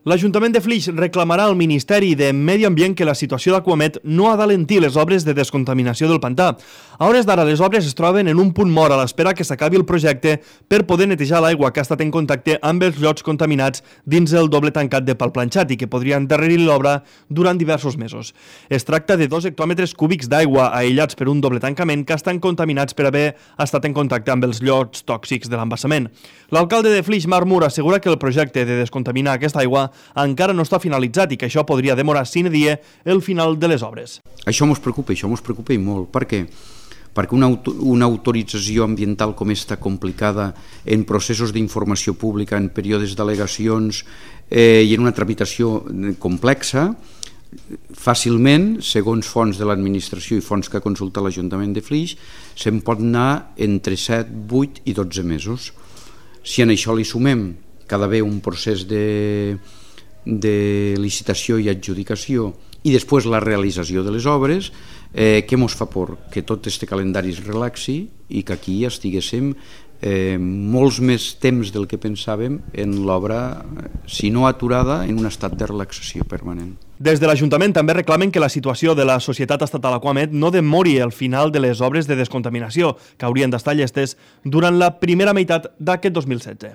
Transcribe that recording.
L'Ajuntament de Flix reclamarà al Ministeri de Medi Ambient que la situació d'Aquamet no ha d'alentir les obres de descontaminació del pantà. A hores d'ara, les obres es troben en un punt mort a l'espera que s'acabi el projecte per poder netejar l'aigua que ha estat en contacte amb els llocs contaminats dins el doble tancat de Palplanxat i que podria endarrerir l'obra durant diversos mesos. Es tracta de 2 hectòmetres cúbics d'aigua aïllats per un doble tancament que estan contaminats per haver estat en contacte amb els llocs tòxics de l'embassament. L'alcalde de Flix, Marc Mur, assegura que el projecte de descontaminar aquesta aigua encara no està finalitzat i que això podria demorar sine die el final de les obres. Això mos preocupa i molt. Per què? Perquè una autorització ambiental com esta complicada en processos d'informació pública, en períodes d'al·legacions i en una tramitació complexa, fàcilment, segons fonts de l'administració i fonts que ha consultat l'Ajuntament de Flix, se'n pot anar entre 7, 8 i 12 mesos. Si en això li sumem que ha d'haver un procés de licitació i adjudicació i després la realització de les obres, què mos fa por? Que tot este calendari es relaxi i que aquí estiguéssim molts més temps del que pensàvem en l'obra, si no aturada, en un estat de relaxació permanent. Des de l'Ajuntament també reclamen que la situació de la Societat Estatal Aquamet no demori el final de les obres de descontaminació, que haurien d'estar llestes durant la primera meitat d'aquest 2016.